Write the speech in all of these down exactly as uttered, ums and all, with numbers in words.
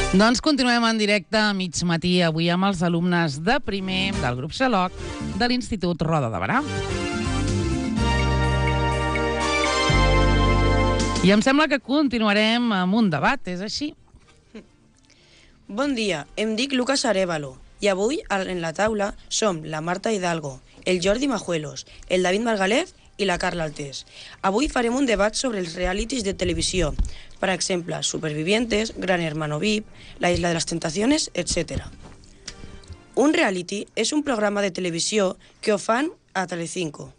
Doncs continuem en directe a mig matí, avui amb els alumnes de primer del grup Xaloc de l'Institut Roda de Berà. I em sembla que continuarem amb un debat, és així? Bon dia, em dic Lucas Arévalo i avui en la taula som la Marta Hidalgo, el Jordi Majuelos, el David Margalef i la Carla Altés. Avui farem un debat sobre els realities de televisió, per exemple, Supervivientes, Gran Hermano V I P, La Isla de las Tentaciones, etcètera. Un reality és un programa de televisió que ho fan a Telecinco.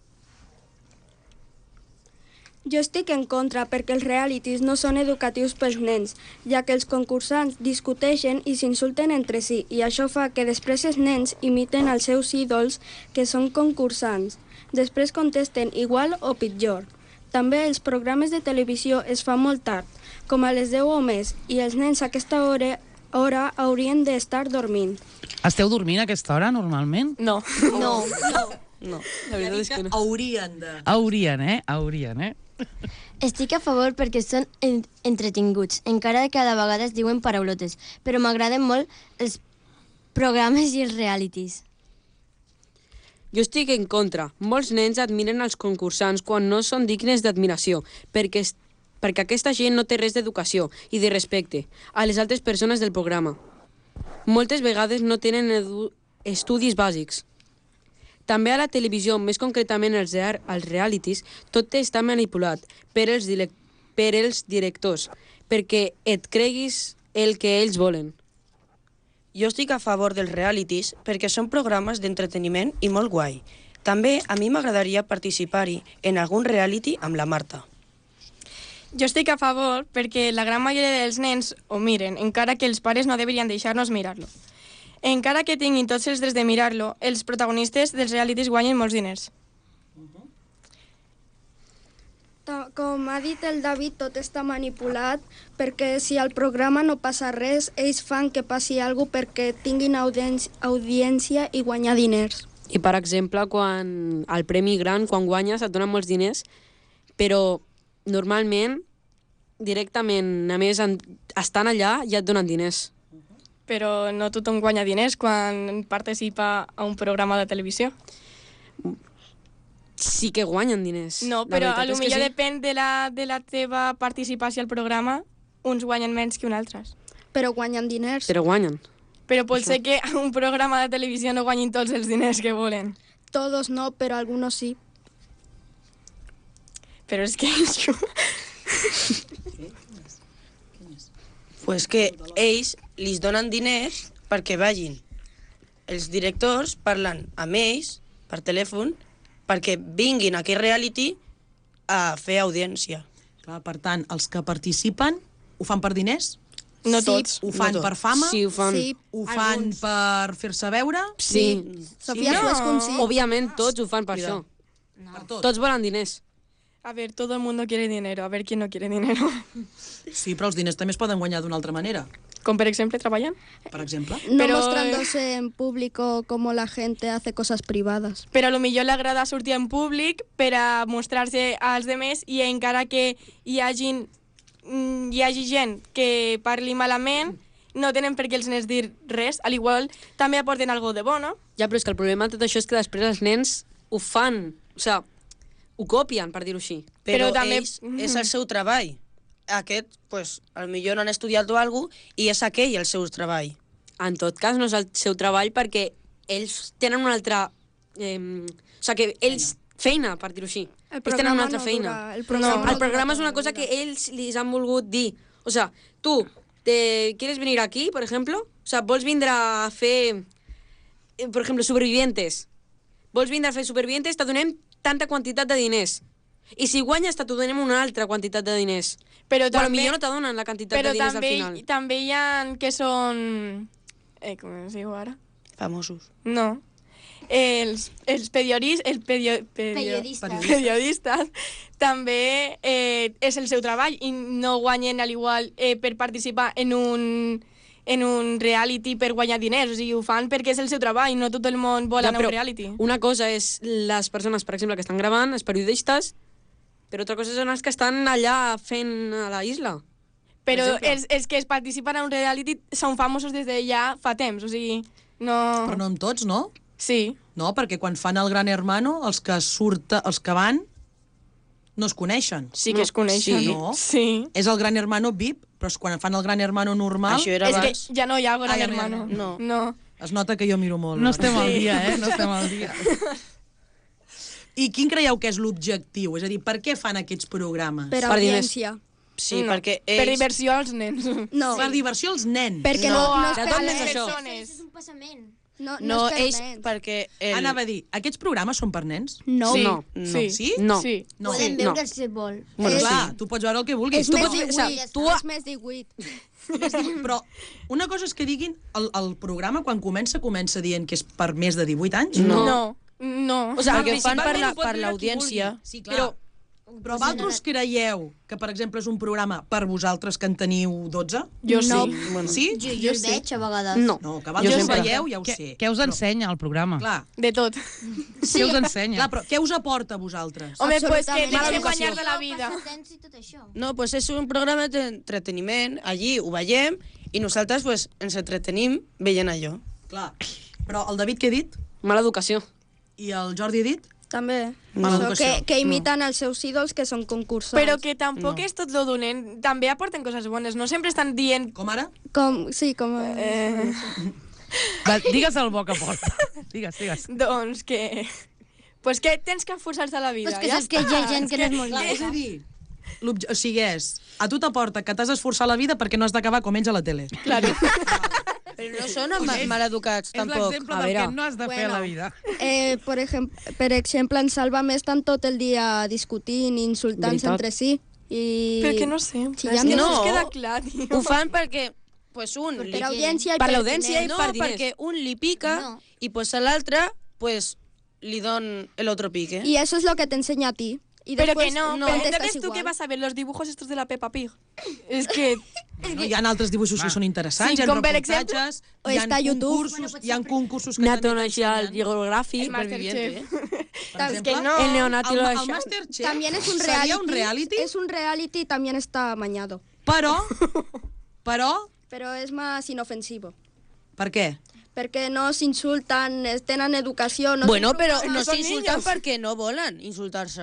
Jo estic en contra perquè els realities no són educatius pels nens, ja que els concursants discuteixen i s'insulten entre si, i això fa que després els nens imiten els seus ídols, que són concursants. Després contesten igual o pitjor. També els programes de televisió es fan molt tard, com a les deu o més, i els nens a aquesta hora, hora haurien d'estar dormint. Esteu dormint a aquesta hora, normalment? No. No, no. No. La veritat és que no. Haurien de... Haurien, eh? Haurien, eh? Estic a favor perquè són en entretinguts, encara que cada vegada es diuen paraulotes, però m'agraden molt els programes i els realities. Jo estic en contra. Molts nens admiren els concursants quan no són dignes d'admiració, perquè, perquè aquesta gent no té res d'educació i de respecte a les altres persones del programa. Moltes vegades no tenen estudis bàsics. També a la televisió, més concretament als, als realities, tot està manipulat per els, per els directors, perquè et creguis el que ells volen. Jo estic a favor dels realities perquè són programes d'entreteniment i molt guai. També a mi m'agradaria participar-hi en algun reality amb la Marta. Jo estic a favor perquè la gran majoria dels nens ho miren, encara que els pares no deurien deixar-nos mirar-lo. Encara que tinguin tots els drets de mirar-lo, els protagonistes dels realities guanyen molts diners. Com ha dit el David, tot està manipulat, perquè si al programa no passa res, ells fan que passi alguna cosa perquè tinguin audiència i guanyar diners. I, per exemple, quan el premi gran, quan guanyes, et donen molts diners, però normalment, directament, a més, estan allà i et donen diners. Però no tothom guanya diners quan participa a un programa de televisió. Sí que guanyen diners. No, però a lo millor sí. depèn de la, de la teva participació al programa, uns guanyen menys que uns altres. Però guanyen diners. Però guanyen. Però pot ser que a un programa de televisió no guanyin tots els diners que volen. Todos no, però algunos sí. Però és que... Pues que ells li donen diners perquè vagin. Els directors parlen amb ells per telèfon perquè vinguin a aquest reality a fer audiència. Clar, per tant, els que participen ho fan per diners? No Sí, tots. Ho fan No tots. per fama? Sí, ho fan. Sí, Ho fan alguns. per fer-se veure? Sí. Sofia No. Suescun sí. Òbviament, tots ho fan per Cuidado. això. Per tot? Tots volen diners. A ver, todo el mundo quiere dinero. A ver quién no quiere dinero. Sí, però els diners també es poden guanyar d'una altra manera. Com per exemple treballant. Per exemple. No Pero, mostrándose en público como la gente hace cosas privadas. Però a lo millor li agrada sortir en públic per a mostrar-se als demés i encara que hi hagi, hi hagi gent que parli malament, no tenen per què els nens dir res. Al igual també aporten algo de bo, no? Ja, però és que el problema de tot això és que després els nens ho fan, o sigui, ho copien, per dir-ho així. Però, Però també- ells, és el seu treball. Aquest, pues, potser no han estudiat o alguna cosa i és aquell el seu treball. En tot cas, no és el seu treball perquè ells tenen una altra... Eh, o sigui, que ells... Feina, per dir-ho així. El Ells tenen una altra no feina. dura- el No, programa, El no programa és dura una cosa toda que la vida. ells li han volgut dir. O sea, tú, te ¿quieres venir aquí, por ejemplo? O sea, vols vindre a fer, eh, por ejemplo, Supervivientes. Vols vindre a fer Supervivientes, te donem tanta quantitat de diners. I si guanyes, te donem una altra quantitat de diners. Però Però també, millor no te donen la quantitat però de diners també, al final. també hi ha que són... Eh, com es diu ara? Famosos. No. Els, els periodistes, el perio, perio, Periodistes. periodistes també eh, és el seu treball i no guanyen al igual eh, per participar en un, en un reality per guanyar diners. O sigui, ho fan perquè és el seu treball, no tot el món vol Ja, anar a però un reality. Una cosa és les persones, per exemple, que estan gravant, els periodistes, però altra cosa són els que estan allà fent a la isla. però exemple. els, els que es participen a un reality són famosos des de ja fa temps, o sigui, no... Però no amb tots, no? Sí. No, perquè quan fan el Gran Hermano, els que surten, els que van, no es coneixen. Sí que es coneixen. Sí, no? Sí. És el Gran Hermano V I P, però quan fan el Gran Hermano normal... Això era És que abans. ja no hi ha Gran Ah, ja no hi ha, Hermano. no. No. Es nota que jo miro molt. No ara. estem al dia, eh? No estem al dia. I quin creieu que és l'objectiu? És a dir, per què fan aquests programes? Per Per diners. audiència. Sí, no. perquè Per ells... diversió als nens. No, Per diversió als nens. perquè No, no, no, a és per totes les nens. persones. És un passament. No, no, No, és per ells, nens. perquè... El... Anava a dir, aquests programes són per nens? No, Sí. No. Sí. Sí? No. Sí. No. Podem no. veure si vol. Bueno, És- clar, tu pots veure el que vulguis. és Tu més pots... o sigui, divuit. tu- És més divuit. Però una cosa és que diguin, el, el programa quan comença, comença dient que és per més de divuit anys? No. No. No. O sigui, perquè ho fan per Principalment la- ho pot per veure qui l'audiència. vulgui. Sí, clar. Però Però vosaltres creieu que, per exemple, és un programa per vosaltres que en teniu dotze? Jo No. sí. bueno, Sí? Jo, jo el veig a vegades. No. No, que Jo vosaltres ho sempre. veieu, ja ho Què, sé. què us ensenya el programa? Clar, De tot. Què us ensenya? clar, però què us aporta a vosaltres? Home, pues que Absolutament. deixem Mala guanyar de la vida. Passatemps i tot això. no, pues és un programa d'entreteniment, allí ho veiem, i nosaltres pues, ens entretenim veient allò. Clar. Però el David què ha dit? Mala educació. I el Jordi ha dit? També. Mala Això, educació. que, que imiten els seus ídols, que són concursants. Però que tampoc No. és tot lo dolent. També aporten coses bones. No sempre estan dient... Com ara? Com, sí, com... Eh, Va, digues el bo que porta. Digues, digues. doncs que... Pues que tens que esforçar-te a la vida. Pues que ja saps que hi ha està. gent que no és molt Clar, és a llesta. dir, l'obje- o sigui, és, a tu t'aporta que t'has d'esforçar a la vida perquè no has d'acabar com ells a la tele. Claro. Però no són ma maleducats, És tampoc. l'exemple A del veure, que no has de fer a la Bueno. vida. Eh, per, exemple, per exemple, en Sálvame estan tot el dia discutint, insultant-se Veritat. entre si. I... Però que no sempre. Sí, és ja que no, no. es queda clar, tio. ho fan perquè pues, un Per li... audiència i Per per l'audiència i diners. No, per diners. perquè un li pica No. i pues, a l'altre pues, li don el otro pique. Y eso es lo que te enseña a ti. Y Pero después que no, no, pero contestas entonces tú igual. qué vas a ver, los dibujos estos de la Peppa Pig. Es que... No, hi ha altres dibuixos que són interessants, Sí, hi ha com per reportatges, exemple, hi ha està a YouTube. concursos, Bueno, pot hi ha ser per- concursos que Nato també Nacional t'ensenyen. Geogràfic. El Masterchef. Per Es que exemple, no. El neonato el, lo el ha- Masterchef También es un seria reality. un reality, Es un reality y también está amañado. però, però, Pero es más inofensivo. per què? Porque no se insultan, eh, tenen educació... No Bueno, es un però programa- no són s'insulten niños. perquè no volen insultar-se.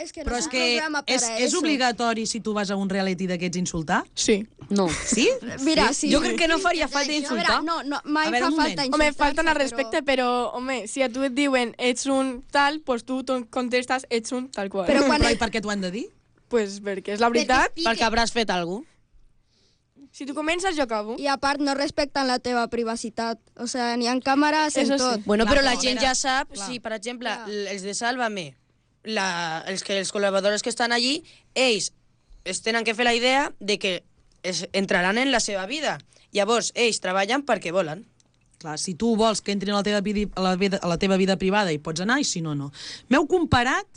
Es que no Però es és un que programa para és, és eso. obligatori si tu vas a un reality d'aquests insultar? Sí. No. Sí? Mira, sí. Jo crec que no faria falta A veure, insultar. no, no, mai A veure, fa un falta moment. insultar. Home, falten al respecte, però, home, si a tu et diuen ets un tal, pues tu ton- contestes ets un tal qual. Però quan Però i et- per què t'ho han de dir? Pues perquè és la veritat. Perquè hauràs fet alguna cosa. Si tu comences, jo acabo. I a part no respecten la teva privacitat. O sea, n'hi ha càmeres en Eso sí. tot. Bueno, Clar, però la però, gent a veure, ja sap, clar. si per exemple Clar. l- els de Sálvame, la, els, que, els col·laboradors que estan allí, ells es tenen que fer la idea de que es, entraran en la seva vida. Llavors, ells treballen perquè volen. Clar, si tu vols que entrin a la teva vida, a la vida, a la teva vida privada hi pots anar i si no, no. M'heu comparat,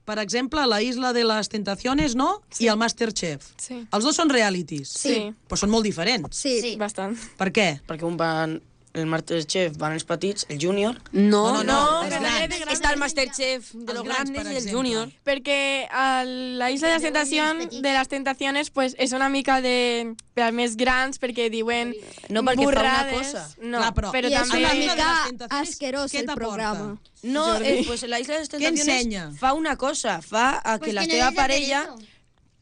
per exemple, la Isla de les Tentaciones, no? Sí. I el Masterchef. Sí. Els dos són realities. Sí. Però són molt diferents. Sí. Sí. Bastant. Per què? Perquè un van, el Masterchef van els petits, el júnior. No, No, no, No, els però grans. de grans. Està el Masterchef de Els los grans, grandes per i el exemple. junior. Perquè a la Isla de las Tentacions, de las Tentaciones, pues és una mica de per als més grans, perquè diuen No, perquè fa una burrades. cosa. No, Clar, però- però I és també... una la Isla de mica les Tentaciones, asquerós què el t'aporta? programa. No, Jordi. eh, pues la Isla de les Tentaciones ensenya? fa una cosa, fa a que Pues la que no teva és de parella Tereso.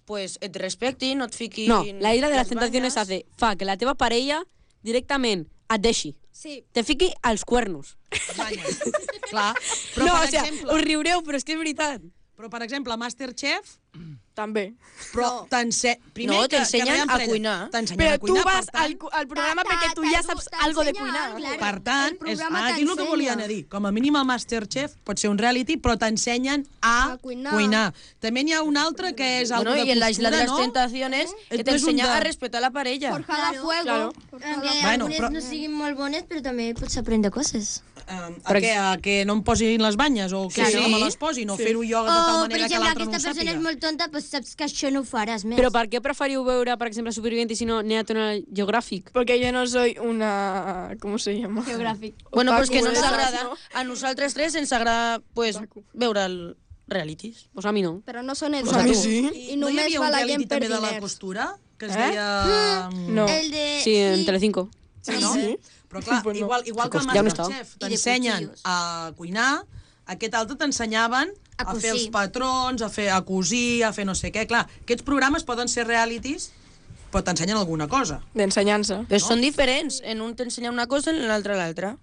pues, et respecti, no et fiqui... No, la Isla de las les Tentaciones banyes. hace, fa que la teva parella directament et deixi. Sí. Te fiqui als cuernos. Banyes. Clar. Però, no, per o sea, exemple, us riureu, però és que és veritat. però, per exemple, a Masterchef, També. però t'ense... primer No, que- t'ensenyen que realment a parella- cuinar. T'ensenyen Però a tu cuinar, vas per tant, al, cu- al programa Ta- perquè tu ta- ja t'edu- saps algo de t'ensenya, cuinar. claro. Per tant, El és, programa aquí és el que t'ensenya. volia anar a dir. Com a mínim el Masterchef pot ser un reality, però t'ensenyen a, A cuinar. cuinar. També n'hi ha un altre que és algo Bueno, de y en la Isla de costura, las no? Tentaciones que Esto es un t'ensenya de- a respetar la parella. Forjada a Claro, fuego. claro. Forjada a Aunque fuego. Bueno, algunes però- no siguin molt bones, però també pots aprendre coses. Um, a, què, a que no em posin les banyes o que Sí. no me les posin o fer-ho jo de O, tal per manera que exemple, l'altre no ho aquesta persona sàpiga. és molt tonta, doncs saps que això no ho faràs més. Però per què preferiu veure, per exemple, Superviviente i si no National Geographic? Porque yo no soy una... ¿Cómo se llama? Geogràfic. Bueno, pues que no ens Otaku, agrada. no? A nosaltres tres ens agrada pues, veure el realities. Pues a mi no. Però no són Pues a mi educatius. sí. I no hi només havia va un la reality gent per també de la diners. costura? que es Eh? deia... No. El de... Sí, en Telecinco. Sí, no? Però clar, Pues no. igual, igual que el Ja no està. Masterchef I de t'ensenyen cuchillos. a cuinar, aquest altre t'ensenyaven A a fer els cosir. patrons, a fer a cosir, a fer no sé què. Clar, aquests programes poden ser realities, però t'ensenyen alguna cosa. D'ensenyança. Però són diferents. En un t'ensenya una cosa, en l'altre l'altra.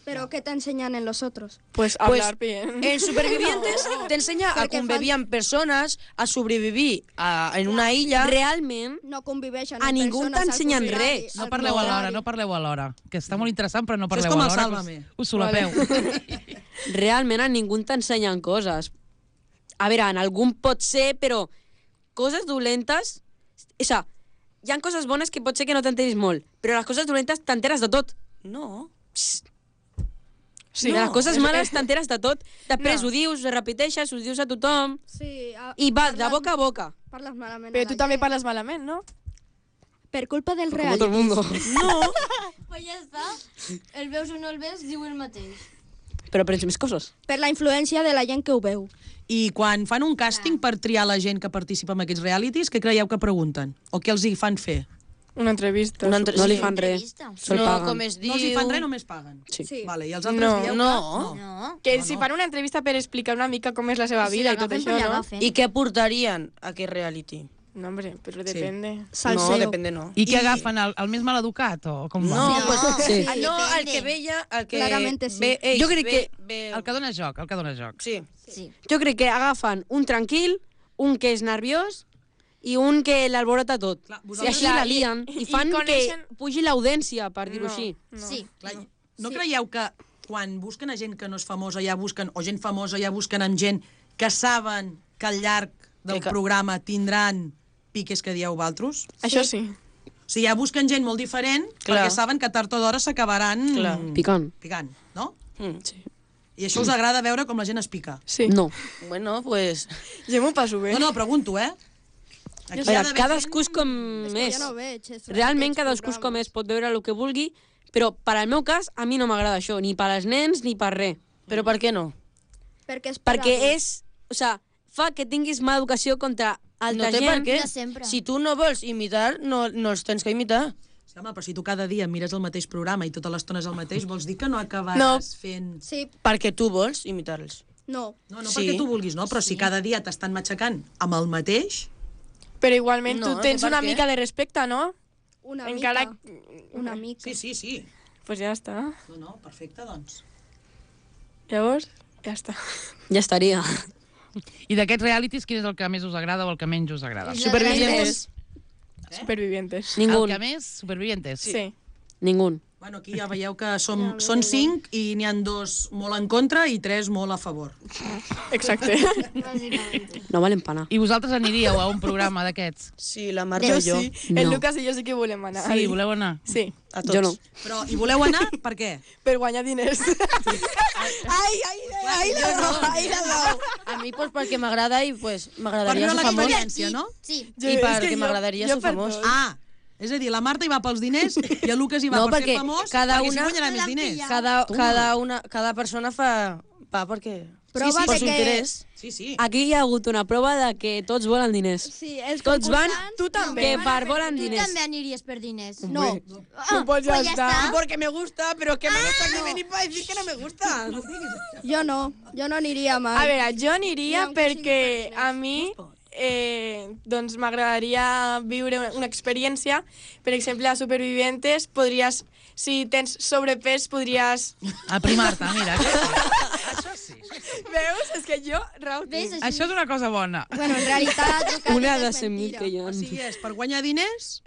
Pero ¿qué te enseñan en los otros? Pues hablar bien. En Supervivientes t'ensenya a Perquè convivir amb persones, a sobrevivir a, en una illa. Realment, No conviveixen A amb ningú persones al t'ensenyen contrari, res. No al parleu alhora, contrari. no parleu alhora. Que està molt interessant, però no Això és parleu com el alhora. Sálvame. que us, us solapeu. realment a ningú t'ensenyen coses. A veure, en algun pot ser, però coses dolentes... O sigui, hi ha coses bones que pot ser que no t'enteris molt, però les coses dolentes t'enteres de tot. No. Sí, No, les coses és- males t'enteres de tot. Després No. ho dius, ho repeteixes, ho dius a tothom, Sí, a, i va de parles- boca a boca. Parles malament Però a tu la també gent. parles malament, no? Per culpa del Com tot el reality. mundo. No. Pues ja està. El veus o no el veus, diu el mateix. Però aprens més coses. Per la influència de la gent que ho veu. I quan fan un càsting per triar la gent que participa en aquests realities, què creieu que pregunten? O què els hi fan fer? Una entrevista. Una entre... No li sí. fan res. Entrevista. Se'l No, paguen. com es diu... No els hi fan res, només paguen. Sí. Sí. Vale, i els altres No, dieu que... no. No. Que No, si no. fan una entrevista per explicar una mica com és la seva Si vida i tot l'agafen, això, pues no? l'agafen. I què portarien a aquest reality? No, hombre, però depende. Salseo. No, depende no. I què agafen, el, el més maleducat? O com va? No, No, pues, sí. Ah, no, el Depende. que veia, el que Claramente sí. ve ell, Jo crec ve, que- ve... El que dona joc, el que dona joc. Sí. Sí. Jo crec que agafen un tranquil, un que és nerviós i un que l'alborota tot. Clar, I vosaltres- així la lien i i fan coneixen- que pugi l'audiència, per dir-ho No, així. no. Sí. Clar, no creieu que quan busquen a gent que no és famosa, ja busquen, o gent famosa, ja busquen amb gent que saben que al llarg del Que- programa tindran piques que dieu valtros? Això sí. O sigui, ja busquen gent molt diferent Clar. perquè saben que tard o d'hora s'acabaran Clar. Picant. picant, no? Mm. Sí. I això us agrada veure com la gent es pica. Sí. No. Bueno, pues... Jo m'ho passo bé. No, no, pregunto, eh? Aquí A hi ha veure, d'haver cadascú és gent- com És que és. jo no veig. És Realment aquests cadascú és com programes. és, pot veure el que vulgui, però per al meu cas a mi no m'agrada això, ni per als nens ni per res. Però per què no? Perquè és per Perquè adults. és, o sigui, fa que tinguis mala educació contra altra No té per gent. què. No sempre. Si tu no vols imitar, no, no els tens que imitar. Sí, home, però si tu cada dia mires el mateix programa i tota l'estona és el mateix, vols dir que no acabaràs No. fent... Sí, Perquè tu vols imitar-los. no. No, no Sí. perquè tu vulguis, no? Però si cada dia t'estan matxacant amb el mateix... Però igualment No, tu tens per una què? mica de respecte, no? Una Encara... mica. Una mica. Sí, sí, sí. Pues ja està. No, no, perfecte, doncs. Llavors, ja està. Ja estaria. I d'aquests realities, quin és el que més us agrada o el que menys us agrada? Supervivientes. Supervivientes. Ningú. El que més? Supervivientes? Sí. Ningú. Bueno, aquí ja veieu que som, són cinc i n'hi han dos molt en contra i tres molt a favor. Exacte. Bàsicament. No valen pana. I vosaltres aniríeu a un programa d'aquests? Sí, la Marta Jo i jo. sí. El No. Lucas i jo sí que volem anar. Sí, voleu anar? Sí, A tots. Jo no. Però hi voleu anar? Per què? per guanyar diners. ai, ai, ai, la dou, ai, la dou. A mi, pues, perquè m'agrada i pues, Per m'agradaria viure ser famós. l'experiència, no? Sí. Jo- I és perquè que jo- m'agradaria jo ser per famós. tot. Ah, és a dir, la Marta hi va pels diners i el Lucas hi va No, per perquè ser famós cada perquè una- si guanyarà més diners. Cada, cada, una, cada persona fa... Va, perquè... Prova per de su que- interès. Sí, sí. Aquí hi ha hagut una prova de que tots volen diners. Sí, els Tots van concursants Tu també. que per volen Tu diners. també aniries per diners. No. Tu pots ja pues ja estar. està. Porque me gusta, pero que me gusta que venir para decir que no me gusta. Jo no. Jo no aniria mai. A veure, jo aniria Ni aunque sigui perquè per a mi eh, doncs m'agradaria viure una- una experiència. Per exemple, a Supervivientes podries, si tens sobrepès, podries... Aprimar-te, mira. Això sí. Veus? És que jo, Rau, Ves, tinc. Això és una cosa bona. Bueno, en realitat... el que Una has dit de és cent mil mentira. que hi ha. O sigui, és per guanyar diners,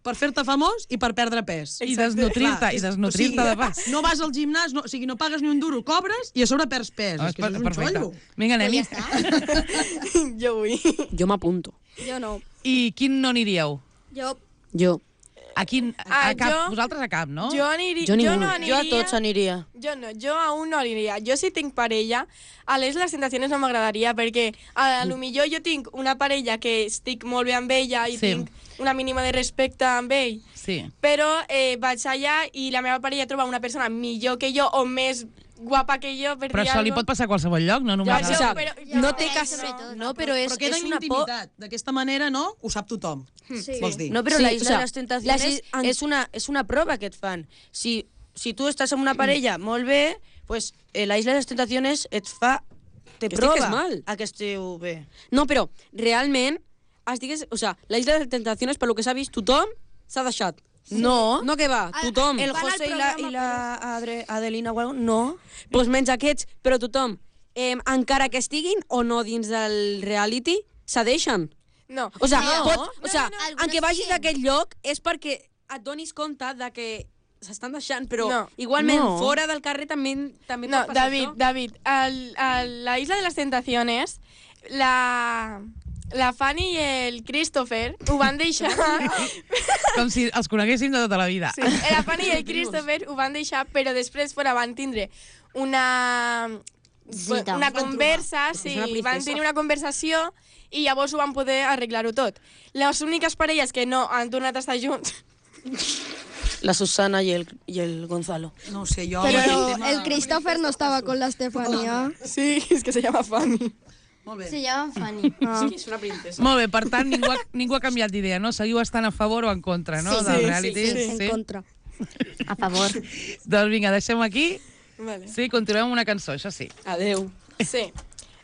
per fer-te famós i per perdre pes. I desnutrir-te, Clar, i és- desnutrir-te o sigui, de pas. No vas al gimnàs, no, o sigui, no pagues ni un duro, cobres i a sobre perds pes. Ah, és que això és un perfecte. xollo. Vinga, Pues anem-hi. ja està. Jo vull. Jo m'apunto. Jo no. I quin no aniríeu? Jo... Jo. A quin? A, Ah, a cap? jo- Vosaltres a cap, no? Jo, aniria, Jo jo, ningú. no Jo aniria... a tots aniria. Jo no, jo a un no aniria. Jo si tinc parella, a les les tentacions no m'agradaria, perquè a lo millor jo tinc una parella que estic molt bé amb ella i Sí. tinc una mínima de respecte amb ell, Sí. però eh, vaig allà i la meva parella troba una persona millor que jo o més guapa que jo, per Però dir això li algo. pot passar a qualsevol lloc, no només... Ja, al- això, o però... sigui, no té Però cas... sobretot, No, però és, Però queda és en una por... intimitat. D'aquesta manera, no? Ho sap tothom. Sí. Vols dir? No, però Sí, la Isla o sea, de les Tentaciones la is- en- és, una, és una prova que et fan. Si, si tu estàs amb una parella molt bé, pues, eh, la Isla de les Tentaciones et fa... Te Que prova estigues mal. a que esteu bé. No, però realment, estigues, o sea, la Isla de les Tentaciones, per lo que s'ha vist, tothom s'ha deixat. No. No que va, tothom. El Van al José i la, programa i la Adre, Adelina, o algo, no. Pues menys aquests, però tothom, eh, encara que estiguin o no dins del reality, se deixen. No. O sea, No. pot, o sea, no, no. en què Algunes vagis siguen. d'aquest lloc és perquè et donis compte de que s'estan deixant, però No. igualment No. fora del carrer també, també No, pot passar David, això. David, al, a la Isla de las Tentaciones, la, la Fanny i el Christopher ho van deixar... Com si els coneguéssim de tota la vida. Sí, la Fanny i el Christopher ho van deixar, però després fora van tindre una... Cita. una Es van conversa, sí, una princesa. van tenir una conversació i llavors ho van poder arreglar-ho tot. Les úniques parelles que no han tornat a estar junts... La Susana y el, y el Gonzalo. No ho sé, jo... Pero el tema- el Christopher no estaba con la Estefanía. Sí, és que se llama Fanny. Molt bé. Se llama Fanny. Ah. Sí, és una princesa. Molt bé, per tant, ningú ha, ningú ha canviat d'idea, no? Seguiu estant a favor o en contra, no? Sí, del sí, reality? sí, En contra. A favor. Doncs vinga, deixem aquí. Vale. Sí, continuem amb una cançó, això sí. Adeu. Sí.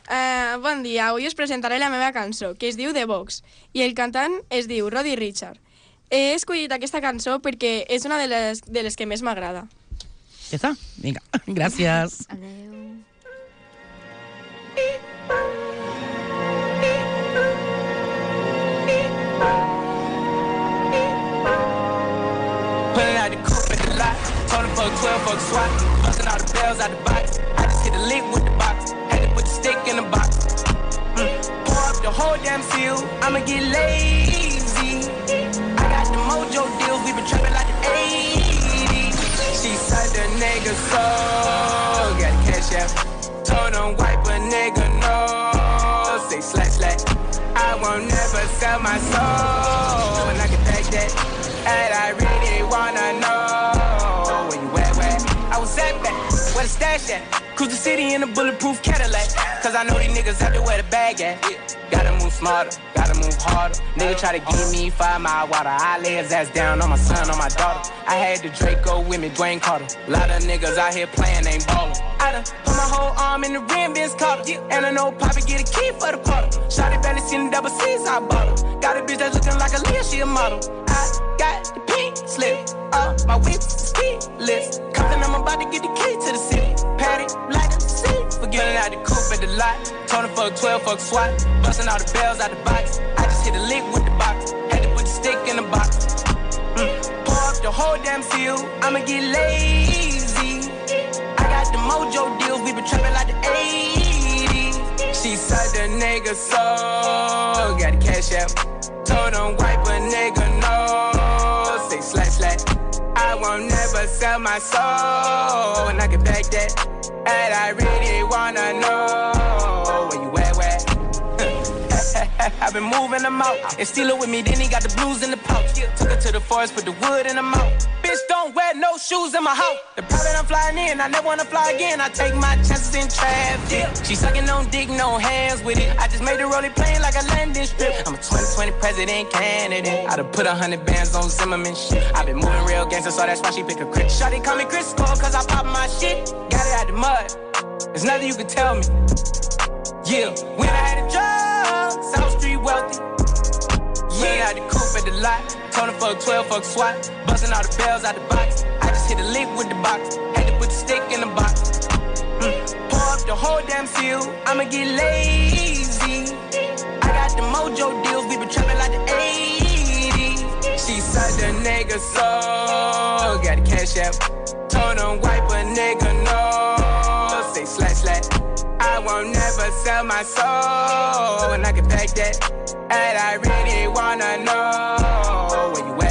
Uh, bon dia, avui us presentaré la meva cançó, que es diu The Box, i el cantant es diu Roddy Richard. He escollit aquesta cançó perquè és una de les, de les que més m'agrada. Ja està? Vinga, gràcies. Adeu. Pulling out the coupe at the lot. Told him fuck twelve, fuck SWAT. Busting all the bells out the box. I just hit a lick with the box. Had to put the stick in the box. Mm. Pour up the whole damn seal. I'ma get lazy. I got the mojo deals. We been trapping like the eighties. She said the nigga so. Got the cash out. Told him wipe a nigga no. Say slash slash. I won't never sell my soul. And I can back that. And I really wanna know where you at, where I was at back, where the stash at. Cruise the city in a bulletproof Cadillac. Cause I know these niggas out there where the bag at. Gotta move smarter, gotta move harder. Nigga try to give me five mile water. I lay his ass down on my son, on my daughter. I had the Draco with me, Dwayne Carter. A lot of niggas out here playing, ain't ballin'. I done put my whole arm in the rim, Vince Carter. And I know Poppy get a key for the quarter. Shawty barely seen the double C's, I bought her. Got a bitch that's looking like a Leah, she a model. I got the pink slip, uh, my whip ski list. Compton, I'm about to get the key to the city. Patty, like the sea. Forgetting out the coupe at the lot. Told him fuck twelve, fuck SWAT. Busting all the bells out the box. I just hit a lick with the box. Had to put the stick in the box. Mm. Pour up the whole damn seal. I'ma get lazy. I got the mojo deals. We been trapping like the eighties. She said the nigga so. Got the cash out. Told him wipe a nigga no. Say slash slash. I won't never sell my soul. And I can back that. And I really wanna know where you at, where? I've been moving them out. And steal it with me, then he got the blues in the pouch. Took her to the forest, put the wood in the mouth. Bitch, don't wear no shoes in my house. The private I'm flying in, I never wanna fly again. I take my chances in traffic. She sucking on dick, no hands with it. I just made the rolling plane like a landing strip. I'm a twenty twenty president candidate. I done put a hundred bands on Zimmerman shit. I been moving real gangster, so that's why she pick a crit. Shawty call me Chris Cole, cause I pop my shit. Got it out the mud. There's nothing you can tell me. Yeah, when I had a job, South Street wealthy. Yeah, I had the coupe at the lot. Told him fuck twelve, fuck SWAT. Busting all the bells out the box. I just hit a lick with the box. Had to put the stick in the box. Mm. Pour up the whole damn seal. I'ma get lazy. I got the mojo deals. We been trapping like the eighties. She said the nigga so. Got the cash out. Told him wipe a nigga no. Say slash slash. I won't never sell my soul. And I can back that. And I really wanna know where you at.